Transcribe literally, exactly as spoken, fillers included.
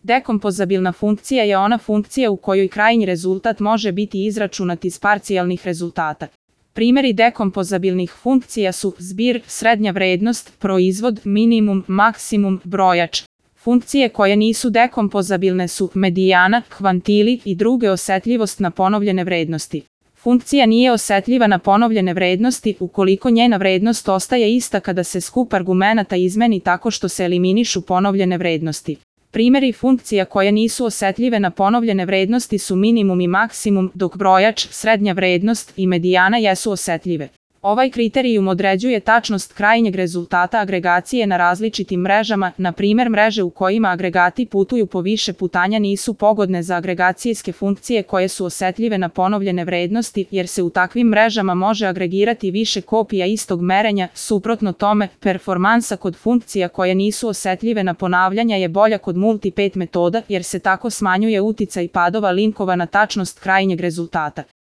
Dekompozabilna funkcija je ona funkcija u kojoj krajnji rezultat može biti izračunat iz parcijalnih rezultata. Primjeri dekompozabilnih funkcija su zbir, srednja vrednost, proizvod, minimum, maksimum, brojač. Funkcije koje nisu dekompozabilne su medijana, kvantili i druge osetljivost na ponovljene vrednosti. Funkcija nije osetljiva na ponovljene vrednosti ukoliko njena vrednost ostaje ista kada se skup argumenata izmeni tako što se eliminišu ponovljene vrednosti. Primjeri funkcija koje nisu osetljive na ponovljene vrednosti su minimum i maksimum, dok brojač, srednja vrednost i medijana jesu osetljive. Ovaj kriterijum određuje tačnost krajnjeg rezultata agregacije na različitim mrežama, na primjer mreže u kojima agregati putuju po više putanja nisu pogodne za agregacijske funkcije koje su osetljive na ponovljene vrednosti, jer se u takvim mrežama može agregirati više kopija istog merenja, suprotno tome, performansa kod funkcija koje nisu osetljive na ponavljanja je bolja kod multi-pet metoda, jer se tako smanjuje uticaj padova linkova na tačnost krajnjeg rezultata.